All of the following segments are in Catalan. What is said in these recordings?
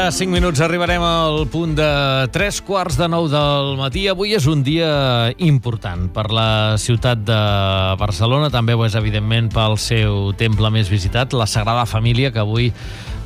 cada 5 minuts arribarem al punt de 3:15 del matí. Avui és un dia important per la ciutat de Barcelona, també ho és evidentment pel seu temple més visitat, la Sagrada Família, que avui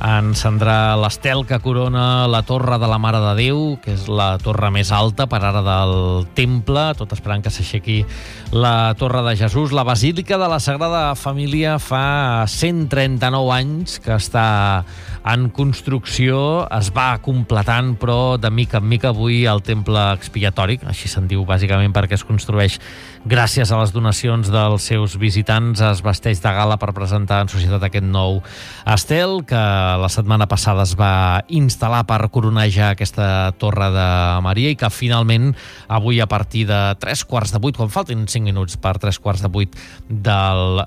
encendrà l'estel que corona la Torre de la Mare de Déu, que és la torre més alta per ara del temple, tot esperant que s'aixequi la Torre de Jesús. La Basílica de la Sagrada Família fa 139 anys que està en construcció, es va completant, però de mica en mica avui el temple expiatori, així se'n diu bàsicament perquè es construeix gràcies a les donacions dels seus visitants, es vesteix de gala per presentar en societat aquest nou estel que la setmana passada es va instal·lar per coronejar aquesta Torre de Maria i que finalment avui a partir de 7:45, quan faltin 5 minuts per 7:45 del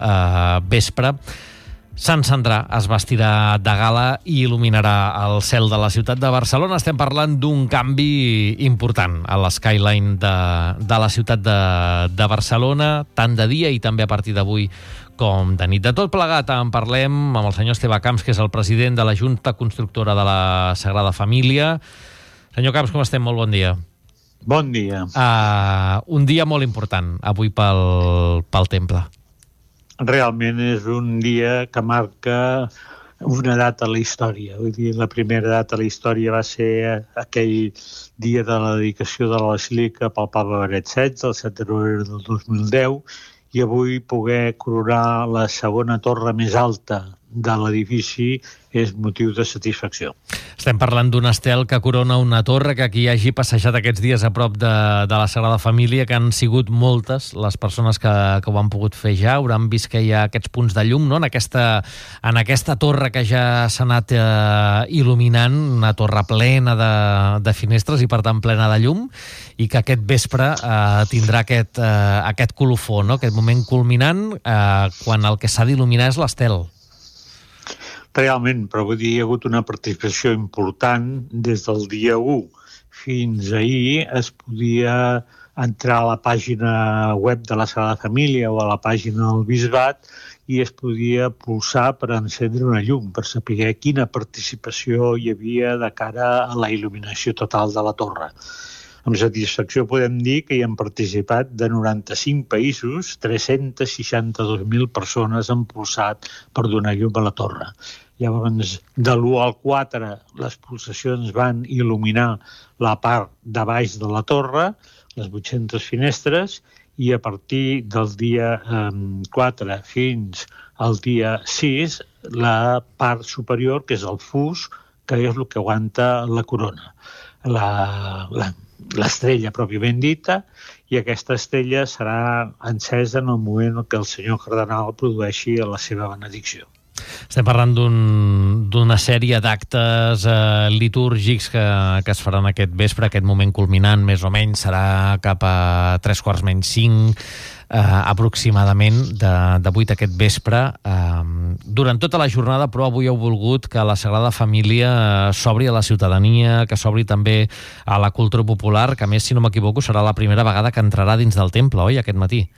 vespre, s'encendrà, es vestirà de gala i il·luminarà el cel de la ciutat de Barcelona. Estem parlant d'un canvi important a l'skyline de la ciutat de Barcelona, tant de dia i també a partir d'avui com de nit. De tot plegat en parlem amb el senyor Esteve Camps, que és el president de la Junta Constructora de la Sagrada Família. Senyor Camps, com estem? Molt bon dia. Bon dia. Un dia molt important avui pel temple. Realment és un dia que marca una data a la història. Vull dir, la primera data a la història va ser aquell dia de la dedicació de la Basílica pel Papa Benet XVI, el 7 de novembre del 2010, i avui poder coronar la segona torre més alta de l'edifici és motiu de satisfacció. Estem parlant d'un estel que corona una torre, que qui hagi passejat aquests dies a prop de la Sagrada Família, que han sigut moltes les persones que ho han pogut fer ja, hauran vist que hi ha aquests punts de llum, no? En aquesta torre que ja s'ha anat il·luminant, una torre plena de finestres i per tant plena de llum, i que aquest vespre tindrà aquest colofó, no? Aquest moment culminant quan el que s'ha d'il·luminar és l'estel. Realment, però vull dir, hi ha hagut una participació important des del dia 1 fins ahir. Es podia entrar a la pàgina web de la Sagrada Família o a la pàgina del Bisbat i es podia pulsar per encendre una llum, per saber quina participació hi havia de cara a la il·luminació total de la torre. Amb satisfacció podem dir que hi han participat de 95 països, 362.000 persones han pulsat per donar llum a la torre. Llavors, de l'1 al 4, les pulsacions van il·luminar la part de baix de la torre, les 800 finestres, i a partir del dia 4 fins al dia 6, la part superior, que és el fus, que és el que aguanta la corona. L'estrella pròpiament dita, i aquesta estrella serà encesa en el moment en què el senyor cardenal produeixi la seva benedicció. Estem parlant d'una sèrie d'actes litúrgics que es faran aquest vespre, aquest moment culminant, més o menys, serà cap a 5:45 aproximadament de 8 aquest vespre. Durant tota la jornada, però, avui heu volgut que la Sagrada Família s'obri a la ciutadania, que s'obri també a la cultura popular, que a més, si no m'equivoco, serà la primera vegada que entrarà dins del temple, oi, aquest matí?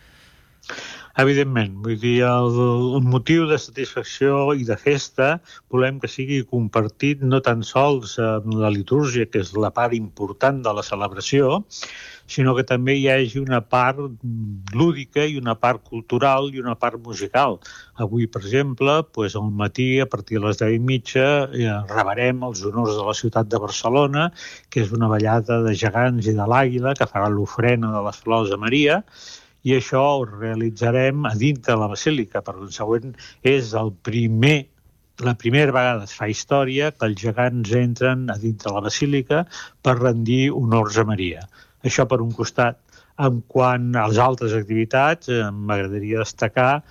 Evidentment, vull dir, el motiu de satisfacció i de festa volem que sigui compartit no tan sols amb la litúrgia, que és la part important de la celebració, sinó que també hi hagi una part lúdica i una part cultural i una part musical. Avui, per exemple, al matí, a partir de les 10:30, rebrem els honors de la ciutat de Barcelona, que és una ballada de gegants i de l'àguila que farà l'ofrena de les flors a Maria, i això ho realitzarem a dintre de la Basílica. Per consegüent, és la primera vegada es fa història que els gegants entren a dintre de la Basílica per rendir honors a Maria. Això per un costat. En quant a les altres activitats, m'agradaria destacar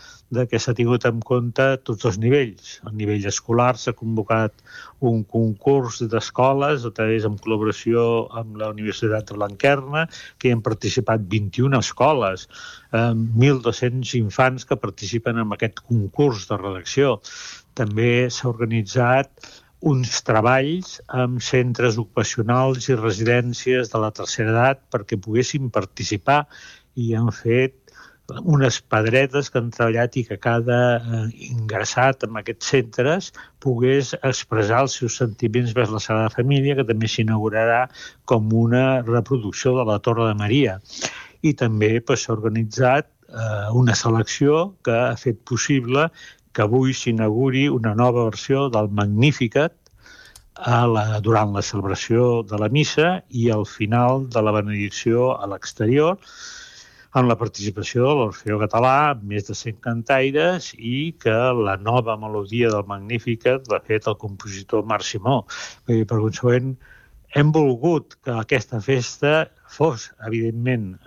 que s'ha tingut en compte tots els nivells. A nivell escolar s'ha convocat un concurs d'escoles, a través en col·laboració amb la Universitat de Blanquerna, que hi han participat 21 escoles, 1.200 infants que participen en aquest concurs de redacció. També s'ha organitzat uns treballs amb centres ocupacionals i residències de la tercera edat perquè poguessin participar, i han fet unes pedretes que han treballat i que cada ingressat en aquests centres pogués expressar els seus sentiments vers la Sagrada Família, que també s'inaugurarà com una reproducció de la Torre de Maria. I també s'ha organitzat una selecció que ha fet possible que avui s'inauguri una nova versió del Magnificat durant la celebració de la missa i al final de la benedicció a l'exterior, amb la participació de l'Orfeó Català, amb més de 100 cantaires, i que la nova melodia del Magnificat l'ha fet el compositor Marc Simó. Per consegüent, hem volgut que aquesta festa fos, evidentment,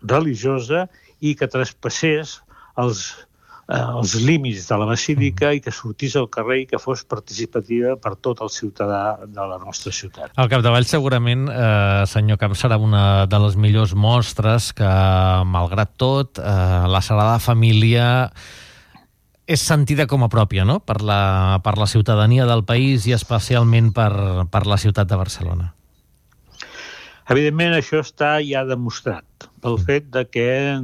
religiosa i que traspassés els límits de la basílica i que sortís al carrer i que fos participativa per tot el ciutadà de la nostra ciutat. Al capdavall, segurament, senyor Camps, serà una de les millors mostres que, malgrat tot, la Sagrada Família és sentida com a pròpia, no?, per la ciutadania del país i especialment per la ciutat de Barcelona. Evidentment, això està ja demostrat pel fet de que,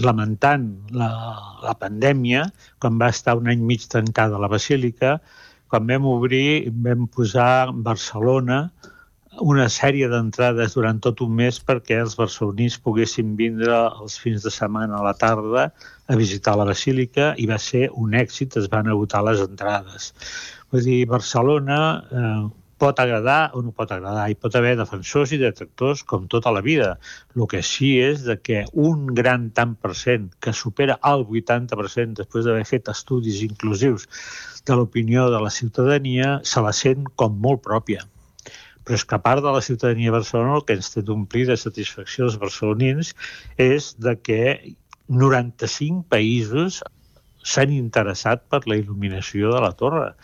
lamentant la pandèmia, quan va estar un any i mig tancada la basílica, quan vam obrir, vam posar a Barcelona una sèrie d'entrades durant tot un mes perquè els barcelonins poguessin vindre els fins de setmana a la tarda a visitar la basílica i va ser un èxit, es van agotar les entrades. Vull dir, Barcelona pot agradar o no pot agradar. Hi pot haver defensors i detractors com tota la vida. El que sí és que un gran tant per cent, que supera el 80% després d'haver fet estudis inclusius de l'opinió de la ciutadania, se la sent com molt pròpia. Però és que a part de la ciutadania de Barcelona, el que ens té d'omplir de satisfacció els barcelonins és que 95 països s'han interessat per la il·luminació de la torre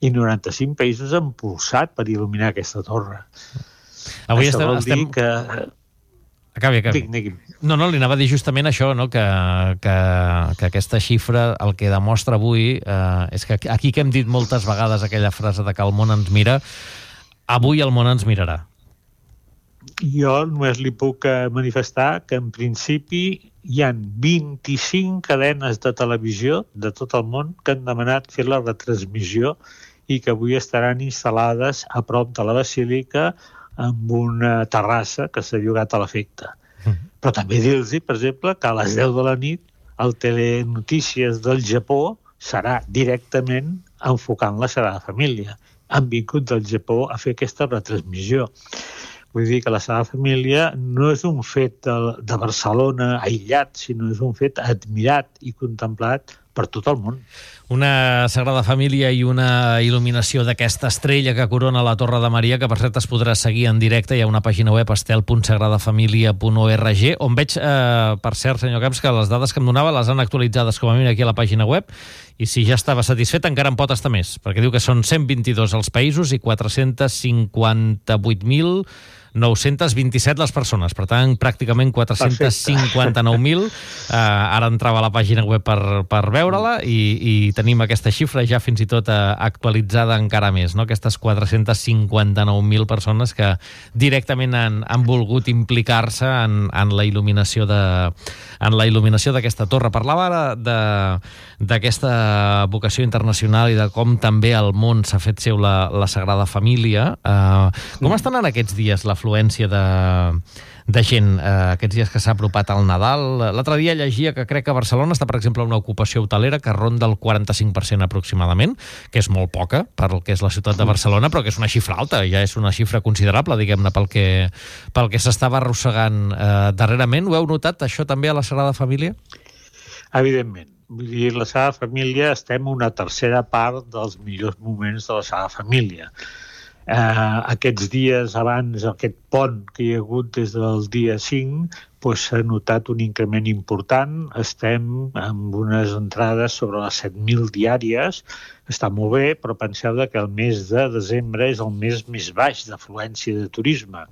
i 95 països han pulsat per il·luminar aquesta torre. Avui això vol dir que... Acabi. No, li anava a dir justament això, no? que aquesta xifra el que demostra avui és que aquí que hem dit moltes vegades aquella frase de que el món ens mira, avui el món ens mirarà. Jo només li puc manifestar que en principi hi ha 25 cadenes de televisió de tot el món que han demanat fer la retransmissió i que avui estaran instal·lades a prop de la basílica amb una terrassa que s'ha llogat a l'efecte. Però també dir-los, per exemple, que a les 10 de la nit el Telenotícies del Japó serà directament enfocant la Sagrada Família. Han vingut del Japó a fer aquesta retransmissió. Vull dir que la Sagrada Família no és un fet de Barcelona aïllat, sinó és un fet admirat i contemplat per tot el món. Una Sagrada Família i una il·luminació d'aquesta estrella que corona la Torre de Maria, que per cert es podrà seguir en directe. Hi ha una pàgina web, estel.sagradafamilia.org, on veig, per cert, senyor Camps, que les dades que em donava les han actualitzades com a mínim aquí a la pàgina web, i si ja estava satisfet encara en pot estar més, perquè diu que són 122 els països i 458.927 les persones, per tant, pràcticament 459.000. Ara entrava a la pàgina web per veure-la i tenim aquesta xifra ja fins i tot actualitzada encara més, no? Aquestes 459.000 persones que directament han volgut implicar-se en la il·luminació d'aquesta torre. Parlava ara d'aquesta vocació internacional i de com també al món s'ha fet seu la Sagrada Família. Com estan en aquests dies l'afluència de gent, aquests dies que s'ha apropat al Nadal? L'altre dia llegia que crec que a Barcelona està, per exemple, una ocupació hotelera que ronda el 45% aproximadament, que és molt poca per el que és la ciutat de Barcelona, però que és una xifra alta, ja és una xifra considerable, diguem-ne, pel que s'estava arrossegant darrerament. Ho heu notat, això també a la Sagrada Família? Evidentment. Vull dir, la Sagrada Família estem a una tercera part dels millors moments de la Sagrada Família. Aquests dies abans, aquest pont que hi ha hagut des del dia 5, s'ha notat un increment important. Estem amb unes entrades sobre les 7.000 diàries. Està molt bé, però penseu que el mes de desembre és el mes més baix d'afluència de turisme.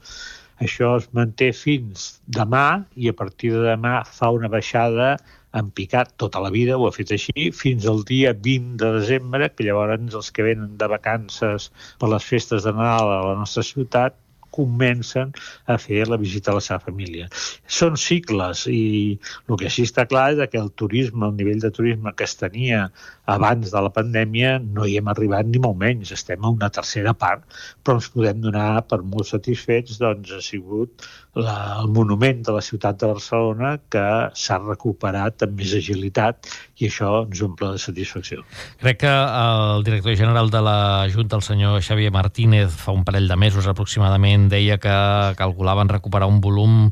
Això es manté fins demà i a partir de demà fa una baixada en picat tota la vida, ho ha fet així, fins al dia 20 de desembre, que llavors els que venen de vacances per les festes de Nadal a la nostra ciutat comencen a fer la visita a la seva família. Són cicles i el que sí està clar és que el turisme, el nivell de turisme que es tenia abans de la pandèmia no hi hem arribat ni molt menys, estem a una tercera part, però ens podem donar per molt satisfets, doncs ha sigut el monument de la ciutat de Barcelona que s'ha recuperat amb més agilitat i això ens omple de satisfacció. Crec que el director general de la Junta, el senyor Xavier Martínez, fa un parell de mesos aproximadament, deia que calculaven recuperar un volum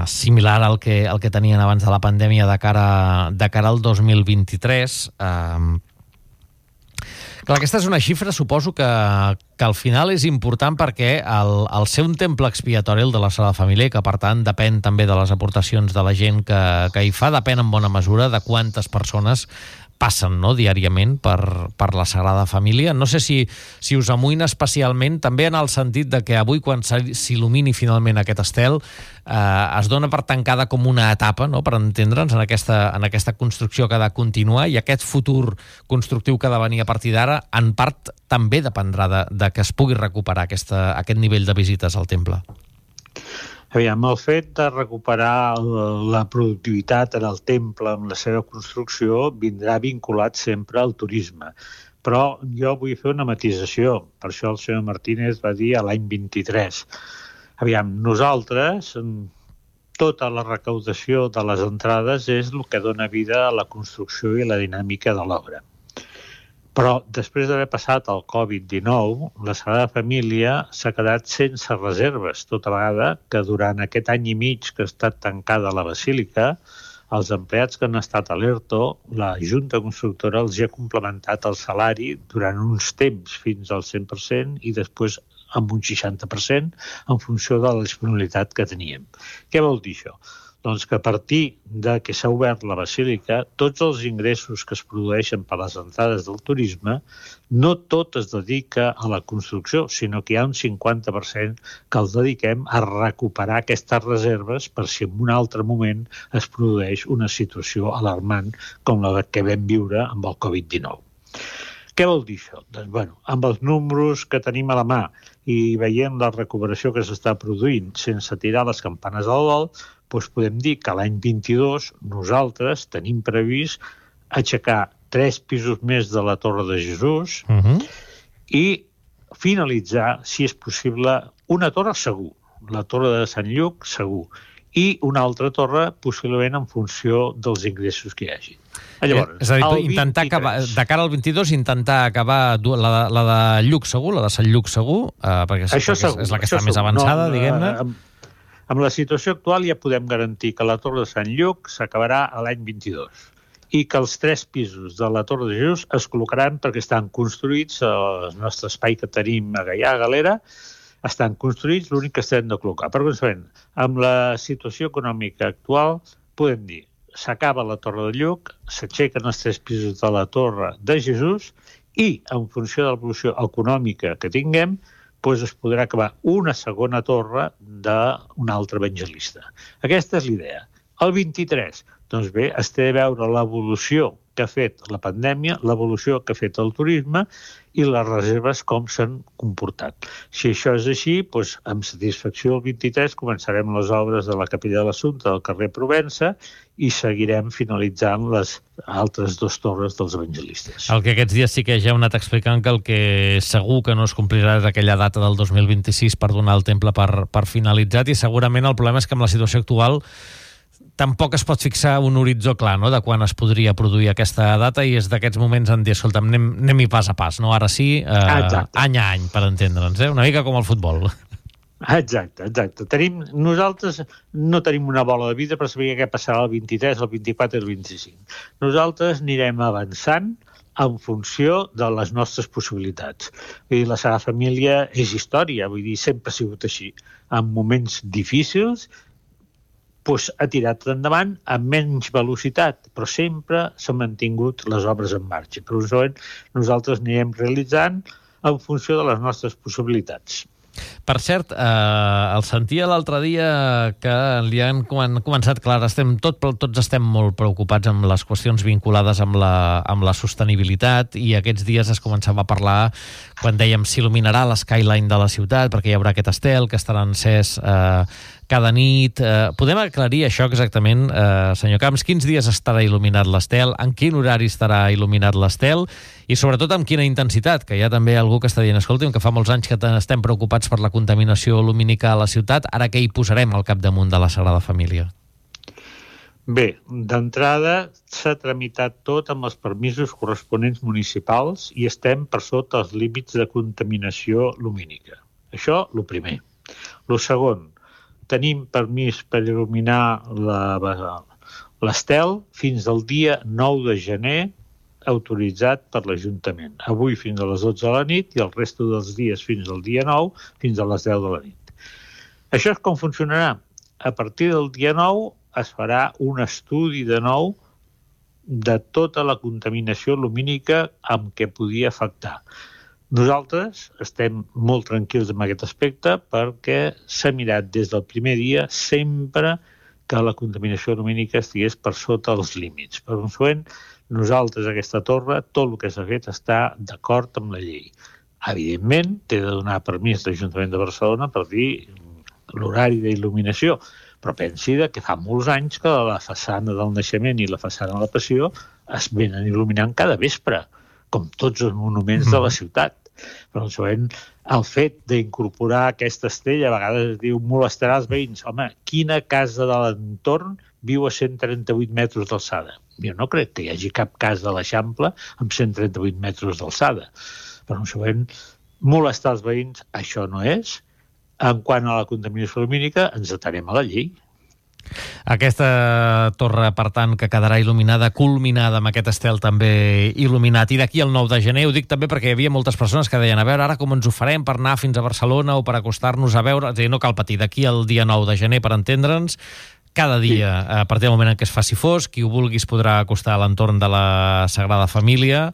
similar al que tenien abans de la pandèmia de cara al 2023. Clar, aquesta és una xifra, suposo que al final és important perquè el ser un temple expiatori, el de la Sagrada Família, que per tant depèn també de les aportacions de la gent que hi fa, depèn en bona mesura de quantes persones passen, no?, diàriament per la Sagrada Família. No sé si us amoïna especialment, també en el sentit de que avui, quan s'il·lumini finalment aquest estel, es dona per tancada com una etapa, no?, per entendre'ns, en aquesta construcció que ha de continuar, i aquest futur constructiu que ha de venir a partir d'ara, en part també dependrà de que es pugui recuperar aquest nivell de visites al temple. Aviam, el fet de recuperar la productivitat en el temple amb la seva construcció vindrà vinculat sempre al turisme. Però jo vull fer una matisació. Per això el senyor Martínez va dir a l'any 23. Aviam, nosaltres, tota la recaudació de les entrades és el que dona vida a la construcció i la dinàmica de l'obra. Però després d'haver passat el Covid-19, la Sagrada Família s'ha quedat sense reserves, tota vegada que durant aquest any i mig que ha estat tancada la Basílica, els empleats que han estat a l'ERTO, la Junta Constructora els ha complementat el salari durant uns temps fins al 100% i després amb un 60% en funció de la disponibilitat que teníem. Què vol dir això? Doncs que a partir de que s'ha obert la Basílica, tots els ingressos que es produeixen per les entrades del turisme, no tot es dedica a la construcció, sinó que hi ha un 50% que els dediquem a recuperar aquestes reserves per si en un altre moment es produeix una situació alarmant com la que vam viure amb el Covid-19. Què vol dir això? Doncs, amb els números que tenim a la mà i veient la recuperació que s'està produint sense tirar les campanes al vol, doncs podem dir que l'any 22 nosaltres tenim previst aixecar 3 pisos més de la Torre de Jesús i finalitzar, si és possible, una torre segur, la Torre de Sant Lluc segur, i una altra torre possiblement en funció dels ingressos que hi hagi. Llavors, és a dir, intentar acabar, de cara al 22, intentar acabar la de Lluc segur, la de Sant Lluc segur, perquè és la que està més avançada, diguem-ne. Amb la situació actual ja podem garantir que la Torre de Sant Lluc s'acabarà a l'any 22 i que els 3 pisos de la Torre de Jesús es col·locaran perquè estan construïts al nostre espai que tenim a Gaià, a Galera, estan construïts, l'únic que estem de col·locar. Per conseqüent, amb la situació econòmica actual, podem dir, s'acaba la Torre de Lluc, s'aixequen els 3 pisos de la Torre de Jesús i, en funció de l'evolució econòmica que tinguem, doncs es podrà acabar una segona torre d'un altre evangelista. Aquesta és l'idea. El 23, doncs bé, es té a veure l'evolució que ha fet la pandèmia, l'evolució que ha fet el turisme i les reserves com s'han comportat. Si això és així, doncs, amb satisfacció el 23 començarem les obres de la Capella de l'Assumpte del carrer Provença i seguirem finalitzant les altres 2 torres dels evangelistes. El que aquests dies sí que ja heu anat explicant que el que segur que no es complirà és aquella data del 2026 per donar el temple per finalitzat, i segurament el problema és que amb la situació actual tampoc es pot fixar un horitzó clar, no?, de quan es podria produir aquesta data, i és d'aquests moments en dir, escolta'm, anem-hi pas a pas, no? Ara sí, any a any, per entendre'ns, una mica com el futbol. Exacte. Nosaltres no tenim una bola de vidre per saber què passarà el 23, el 24 i el 25. Nosaltres anirem avançant en funció de les nostres possibilitats. Vull dir, la Sagrada Família és història, vull dir, sempre ha sigut així. En moments difícils, doncs ha tirat endavant amb menys velocitat, però sempre s'han mantingut les obres en marxa. Per això nosaltres anirem realitzant en funció de les nostres possibilitats. Per cert, el sentia l'altre dia que li han començat, clar, tots estem molt preocupats amb les qüestions vinculades amb la sostenibilitat, i aquests dies es començava a parlar, quan dèiem s'il·luminarà l'skyline de la ciutat, perquè hi haurà aquest estel que estarà encès cada nit. Podem aclarir això exactament, senyor Camps? Quins dies estarà il·luminat l'estel? En quin horari estarà il·luminat l'estel? I sobretot amb quina intensitat? Que hi ha també algú que està dient, escolti'm, que fa molts anys que estem preocupats per la contaminació lumínica a la ciutat, ara què hi posarem al capdamunt de la Sagrada Família? Bé, d'entrada s'ha tramitat tot amb els permisos corresponents municipals i estem per sota els límits de contaminació lumínica. Això, el primer. El segon, tenim permís per il·luminar l'estel fins al dia 9 de gener, autoritzat per l'Ajuntament. Avui fins a les 12 de la nit i el resto dels dies fins al dia 9, fins a les 10 de la nit. Això és com funcionarà. A partir del dia 9 es farà un estudi de nou de tota la contaminació lumínica amb què podia afectar. Nosaltres estem molt tranquils en aquest aspecte perquè s'ha mirat des del primer dia sempre que la contaminació lumínica estigués per sota els límits. Per consegüent, nosaltres, aquesta torre, tot el que s'ha fet està d'acord amb la llei. Evidentment, té de donar permís l'Ajuntament de Barcelona per dir l'horari d'il·luminació, però pensi que fa molts anys que la façana del Naixement i la façana de la Passió es venen il·luminant cada vespre, com tots els monuments de la ciutat. Però el fet d'incorporar aquesta estrella a vegades es diu molestarà els veïns. Home, quina casa de l'entorn viu a 138 metres d'alçada? Jo no crec que hi hagi cap casa de l'Eixample amb 138 metres d'alçada. Però molestar els veïns, això no és. En quant a la contaminació lumínica, ens atenem a la llei. Aquesta torre, per tant, que quedarà il·luminada, culminada amb aquest estel també il·luminat. I d'aquí al 9 de gener, ho dic també perquè hi havia moltes persones que deien, a veure, ara com ens ho farem per anar fins a Barcelona o per acostar-nos a veure... És a dir, no cal patir, d'aquí al dia 9 de gener, per entendre'ns, cada dia, a partir del moment en què es faci fosc, qui ho vulgui es podrà acostar a l'entorn de la Sagrada Família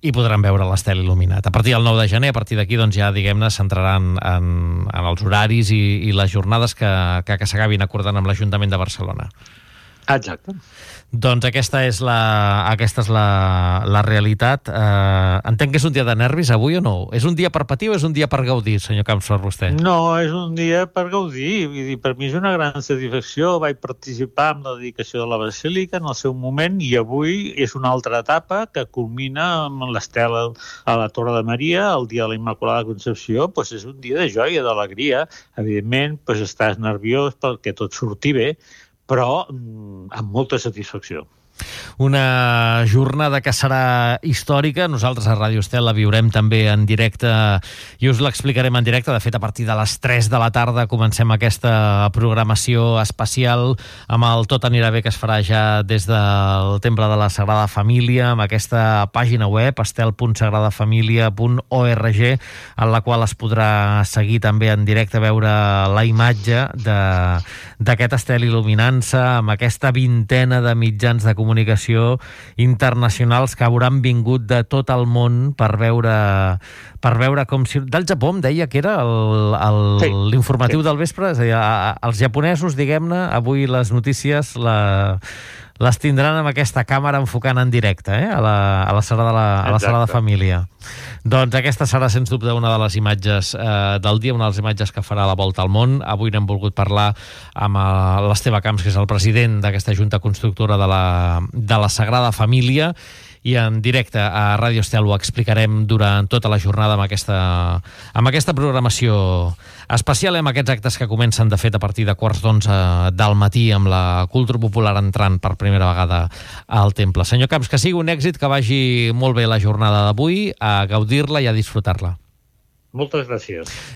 i podran veure l'estel il·luminat. A partir del 9 de gener, a partir d'aquí, doncs ja, diguem-ne, s'entraran en els horaris i les jornades que s'acabin acordant amb l'Ajuntament de Barcelona. Exacte. Doncs aquesta és la realitat. Entenc que és un dia de nervis avui o no? És un dia per patir o és un dia per gaudir, senyor Camps, per vostè? No, és un dia per gaudir. Vull dir, per mi és una gran satisfacció. Vaig participar en la dedicació de la Basílica en el seu moment i avui és una altra etapa que culmina amb l'estela a la Torre de Maria, el dia de la Immaculada Concepció. Doncs és un dia de joia, d'alegria. Evidentment, estàs nerviós perquè tot surti bé, però amb molta satisfacció. Una jornada que serà històrica. Nosaltres a Ràdio Estel la viurem també en directe i us l'explicarem en directe. De fet, a partir de les 3 de la tarda comencem aquesta programació especial amb el Tot anirà bé, que es farà ja des del Temple de la Sagrada Família, amb aquesta pàgina web estel.sagradafamilia.org, en la qual es podrà seguir també en directe, veure la imatge d'aquest estel il·luminant-se amb aquesta vintena de mitjans de comunicació internacionals que hauran vingut de tot el món per veure com si... Del Japó em deia que era l'informatiu del vespre, és a dir, els japonesos, diguem-ne, avui les notícies les tindran amb aquesta càmera enfocant en directe, a la Sagrada Família. Doncs aquesta serà, sens dubte, una de les imatges del dia, una de les imatges que farà la volta al món. Avui n'hem volgut parlar amb l'Esteve Camps, que és el president d'aquesta Junta Constructora de la Sagrada Família, i en directe a Ràdio Estel ho explicarem durant tota la jornada amb aquesta programació especial, amb aquests actes que comencen, de fet, a partir de 11:15 del matí, amb la cultura popular entrant per primera vegada al temple. Senyor Camps, que sigui un èxit, que vagi molt bé la jornada d'avui, a gaudir-la i a disfrutar-la. Moltes gràcies.